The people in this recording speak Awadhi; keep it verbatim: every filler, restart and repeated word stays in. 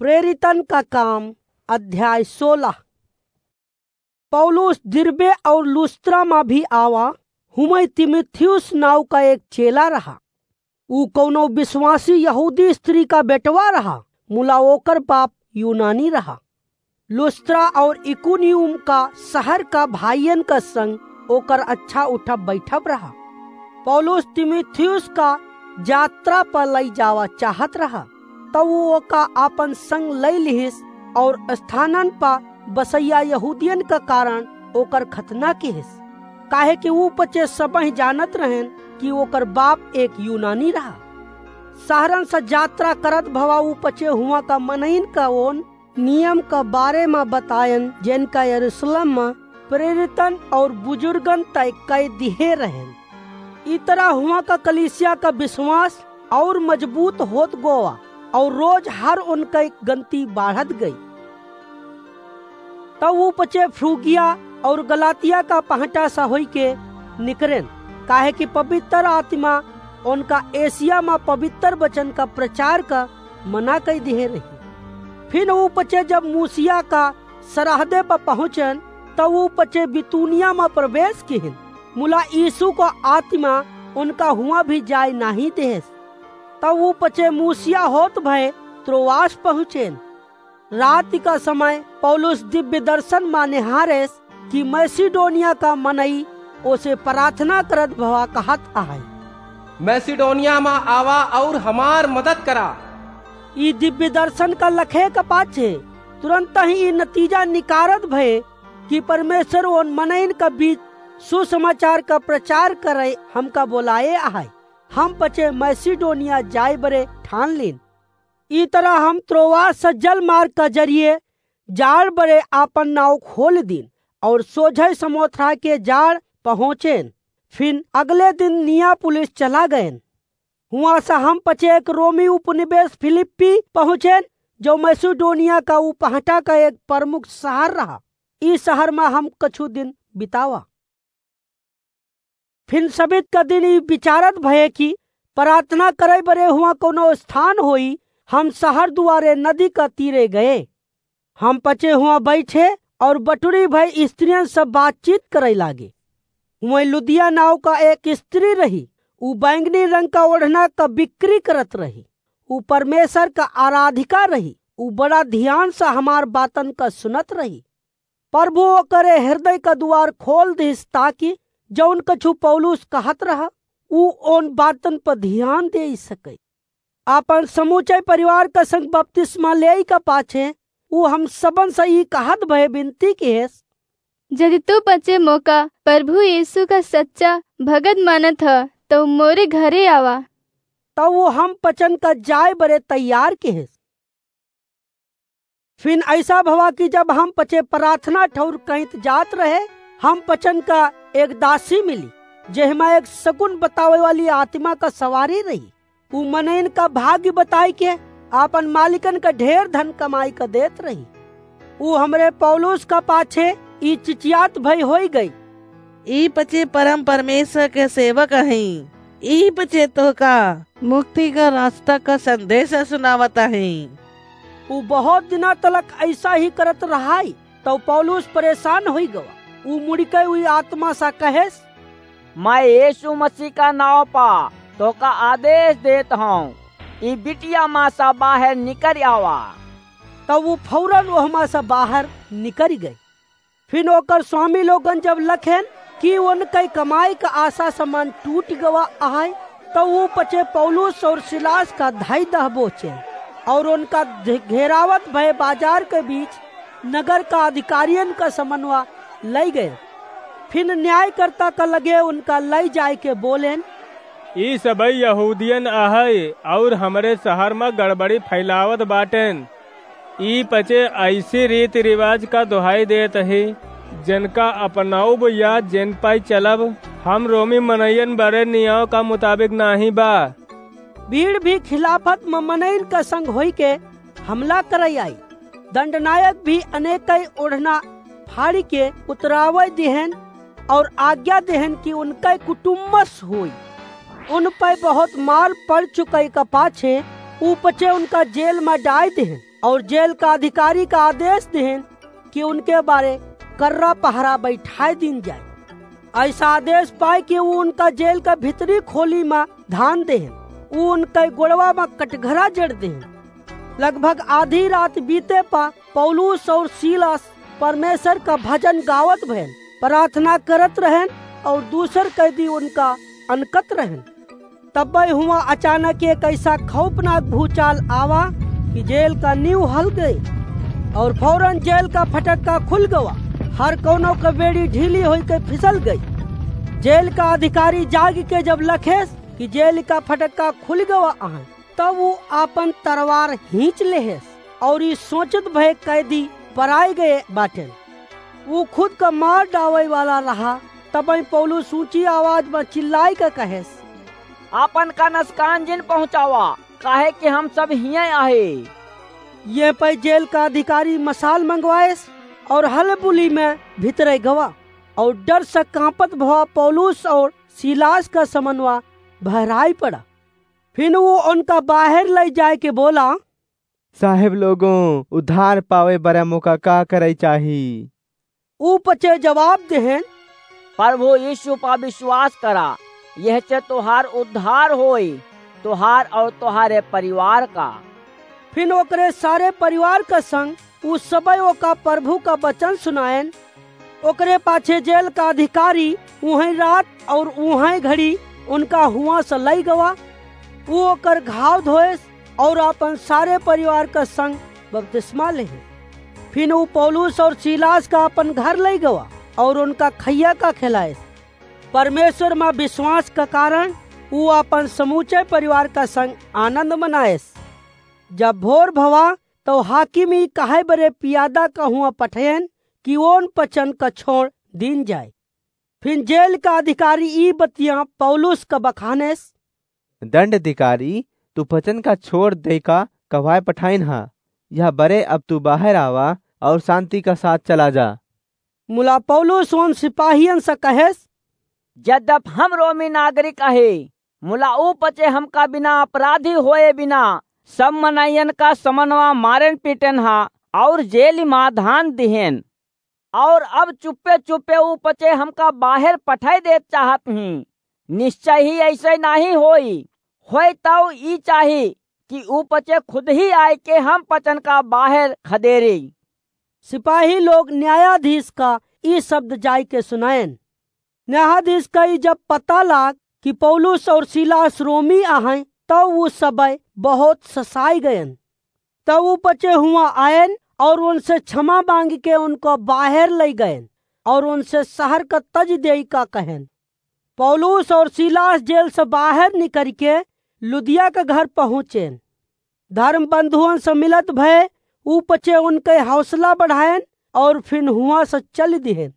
प्रेरितन का काम, अध्याय सोलह। पौलुस दिरबे और लुस्त्रा मा भी आवा, हुमई तीमुथियुस नाव का एक चेला रहा। ऊ कौनो विश्वासी यहूदी स्त्री का बेटवा रहा, मुला ओकर बाप यूनानी रहा। लुस्त्रा और इकुनियुम का शहर का भाइयन का संग ओकर अच्छा उठब बैठब रहा। पौलुस तीमुथियुस का यात्रा पर लई जावा चाहत रहा, तब ऊ ओका आपन संग लई लिहिस और स्थानन पर बसैया यहूदियन का कारण ओकर खतना किहिस, काहे कि ऊ पचे सबही जानत रहेन कि ओकर बाप एक यूनानी रहा। शहरन से यात्रा करत भवा ऊ पचे हुआ का मनइन का ओन नियम का बारे मा बतायन, जेनका यरूशलेम मा प्रेरितन और बुजुर्गन तय कई दिहे रहेन। ई तरह हुआ का कलीसिया का विश्वास और मजबूत होत गोवा और रोज हर उनका गनती बाढ़त गई। तब ऊ पचे फ्रूगिया और गलातिया का पहटा सा होई के निकरेन, काहे कि पवित्र आत्मा उनका एशिया मा पवित्र वचन का प्रचार का मना कई दिहे रही। फिर ऊ पचे जब मूसिया का सरहदे पर पहुँचेन, तब ऊ पचे बितूनिया मा प्रवेश किहिन, मुला यीशु का आत्मा उनका हुआ भी जाय नाही देहेस। तब ऊ पचे मूसिया होत भय त्रोआस पहुँचेन। राति का समय पौलुस दिव्य दर्शन मा निहारेस कि मैसिडोनिया का मनई ओसे प्रार्थना करत भवा कहत आहे, "मैसिडोनिया मा आवा और हमार मदद करा।" ई दिव्य दर्शन का लखे का पाछे तुरंत ही ई नतीजा निकारत भये कि परमेश्वर ओन मनइन का बीच सुसमाचार का प्रचार करे हमका बोलाए आहे। हम पचे मैसिडोनिया जाए बरे ठान लीन। ई तरह हम त्रोआस से जल मार्ग का जरिए जाड़ बरे आपन नाव खोल दीन और सोझे समोथरा के जाड़ पहुँचेन। फिन अगले दिन नियापुलिस चला गएन। हुआं से हम पचे एक रोमी उपनिवेश फिलिप्पी पहुँचेन, जो मैसिडोनिया का उपहटा का एक प्रमुख शहर रहा। ई शहर मा हम कछु दिन बितावा। फिन सबित का दिन ई विचारत भये कि प्रार्थना करे बरे हुआं कोनो स्थान होई, हम शहर दुआरे नदी का तीरे गए। हम पचे हुआं बैठे और बटुरी भय स्त्रियन से बातचीत करे लागे। हुआं लुदिया नाव का एक स्त्री रही, ऊ बैंगनी रंग का ओढ़ना का बिक्री करत रही। ऊ परमेश्वर का आराधिका रही। ऊ बड़ा ध्यान से हमार बातन का सुनत रही। प्रभु ओकरे हृदय का दुआर खोल दिस, ताकि जौन कछु पौलुस कहत रहा, ऊ ओन बातन पर ध्यान दे सके। आपन समूचे परिवार का संग बपतिस्मा लेई का पाछे, ऊ हम सबन से ई कहत भय विनती किहेस, "यदि तू पचे मोका प्रभु यीशु का सच्चा भगत मानत ह, तो मोरे घरे आवा।" तब ऊ हम पचन का जाए बरे तैयार किहेस। फिन ऐसा भवा कि जब हम पचे प्रार्थना ठौर कहित जात रहे, हम पचन का एक दासी मिली, जेहमा एक सगुन बतावे वाली आत्मा का सवारी रही। ऊ मनइन का भाग्य बताई के आपन मालिकन का ढेर धन कमाई का देत रही। ऊ हमरे पौलुस का पाछे ई चिचियात भई होई गई, "ई पचे परम परमेश्वर के सेवक हईं, ई पचे तोहका मुक्ति का रास्ता का संदेश सुनावत हईं।" ऊ बहुत दिना तलक ऐसा ही करत रहाई, तब पौलुस परेशान होई गवा। ऊ मुड़िके उई आत्मा सा कहेस, "मैं यीशु मसीह का नाव पा तोहका आदेश देत हौं, ई बिटिया मा सा बाहर निकरि आवा।" तब ऊ फौरन ओहमा सा बाहर निकरि गई। फिन ओकर स्वामी लोगन जब लखेन कि उनके कमाई का आशा समान टूट गवा आहे, तब ऊ पचे पौलुस और सिलास का धाई दहबोचे और उनका घे-, घेरावत भय बाजार के बीच नगर का अधिकारियन का समनवा लई गए। फिन न्यायकर्ता का लगे उनका लई जाए के बोलेन, "ई सबई यहूदियन अहइ और हमरे शहर मा गड़बड़ी फैलावत बाटेन। ई पचे ऐसी रीति रिवाज का दोहाई देत ही, जिनका अपनाउब या जिन पाई चलब, हम रोमी मनइयन बरे नियम का मुताबिक नाही बा।" भीड़ भी खिलाफत म मनइन का संग होई के हमला करई आई। दंडनायक भी अनेकई ओढ़ना फाड़ी के उतरावई दिहेन और आज्ञा दिहेन कि उनके कुटुम्बस होई। उन पे बहुत मार पड़ चुकई का पाछे ऊ पचे उनका जेल मा डाइ देहेन और जेल का अधिकारी का आदेश देहेन कि उनके बारे कर्रा पहरा बैठाइ दीन जाए। ऐसा आदेश पाइ के ऊ उनका जेल का भीतरी खोली मा धान देहेन। ऊ उनके गोड़वा मा कटघरा जड़ देहेन। लगभग आधी रात बीते पा पौलुस और सीलास परमेश्वर का भजन गावत भएन, प्रार्थना करत रहेन और दूसर कैदी उनका अनकत रहेन। तब्बै हुआँ अचानक एक ऐसा खौफनाक भूचाल आवा कि जेल का नींव हल गए और फौरन जेल का फटक्का खुल गवा। हर कौनो का बेड़ी ढीली होई के फिसल गई। जेल का अधिकारी जाग के जब लखेस कि जेल का फटक्का खुल गवा आहे, तब ऊ आपन तरवार हींच लेहेस और ई सोचत भए कैदी पराए गए बाटेन। ऊ खुद का मार डावै वाला रहा, तबहीं पौलुस ऊँची आवाज मा चिल्लाइ के कहेस, "आपन का नसकान जिन पहुँचावा, काहे कि हम सब हियैं आहे।" ये पै जेल का अधिकारी मसाल मंगवाएस और हलबुली मा भीतरै गवा और डर से काँपत भवा पौलुस और सीलास का समनवा बहराइ पड़ा। फिन ऊ उनका बाहेर लइ जाइके बोला, "साहेब लोगों, उद्धार पावै बरै मोका का करै चाही?" ऊ पचे जवाब देहेन, "प्रभु यीशु पा विश्वास करा, यहसे तोहार उद्धार होई, तोहार और तोहारे परिवार का।" फिन ओकरे सारे परिवार का संग ऊ सबैं ओका प्रभु का वचन सुनाएन। ओकरे पाछे जेल का अधिकारी उहैं रात और उहैं घड़ी उनका हुआँ से लइ गवा। ऊ ओकर घाव धोएस और आपन सारे परिवार का संग बपतिस्मा लेहे। फिन ऊ पौलुस और सीलास का आपन घर लइ गवा और उनका खइया का खिलाएस। परमेश्वर मा विश्वास का कारण ऊ आपन समूचे परिवार का संग आनंद मनाएस। जब भोर भवा, तौ हाकिम ई कहै बरे पियादा का हुआँ पठयन कि ओन पचन का छोड़ दीन जाए। फिन जेल का अधिकारी ई बतियाँ पौलुस का बखानेस, "दंड अधिकारी, तू पचन का छोड़ देइ का कहवाए पठाइन हा? यह बरे अब तू बाहेर आवा और शांति का साथ चला जा।" मुला पौलुस ओन सिपाहियन से कहेस, "जद्यप हम रोमी नागरिक आहे, मुला ऊ पचे हमका बिना अपराधी होए बिना सब मनइयन का समनवा मारेन पीटेन हा और जेल मा धान दिहेन। और अब चुप्पे चुप्पे ऊ पचे हमका बाहेर पठाइ देत चाहत ही। निश्चय ही ऐसे नाहीं होई। होय तौ ई चाही कि ऊ पचे खुद ही आइके हम पचन का बाहेर खदेरी।" सिपाही लोग न्यायाधीश का ई शब्द जाइके सुनाएन। न्यायाधीश का ई जब पता लाग कि पौलुस और सीलास रोमी आहैं, तौ ऊ सबैं बहुत ससाइ गएन। तब ऊ पचे हुआँ आएन और उनसे क्षमा माँगिके उनको बाहेर लइ गएन और उनसे शहर का तजि देइ का कहेन। पौलुस और सीलास जेल से बाहेर निकरिके लुदिया के घर पहुँचेन। धर्म बंधुअन से मिलत भए ऊ पचे उनके हौसला बढ़ाएन और फिन हुआँ से चलि दिहेन।